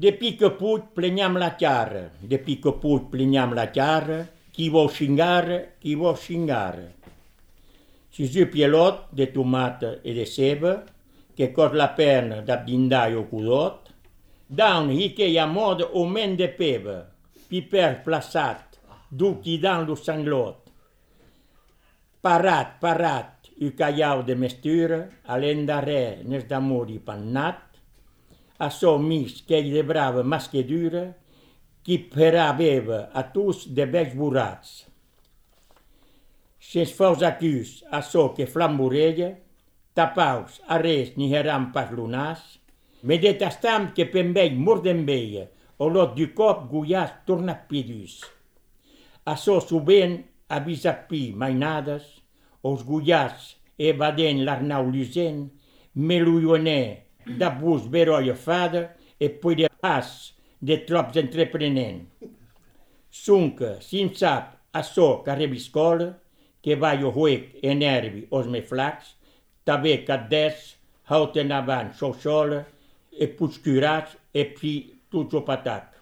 Depuis que puig pleniam la chiara, depuis que puig pleniam la chiara, chi vo scingare. Si giù pielot de tomata e de seba, che cos la perna da bindai o cudot, down hi che ia mod o men de peba, piper plaçat, du chi dan lo sanglot. Parat, u caiau de mestura, alenda re nes d'amori pannat, a so mis che gli brava maschedura, chi per aveva a tus de becs burats. Sens faus acus a so che flamborella, tapaus a res ni heram pas lunas, medet a stam che pembei mordembeia, o lot du cop guias tornat pidus. A so suben a bisapi mainadas, os guias e baden l'arnau lusen, meluionè da bus veroia fada e poi de pas de trops entreprenent. Sunca, sin sap, a so carrebiscola, che vai o huec e nervi os me flacs, tabe caddes, hauten avant xoxola, e puscurats e pi tutto patac.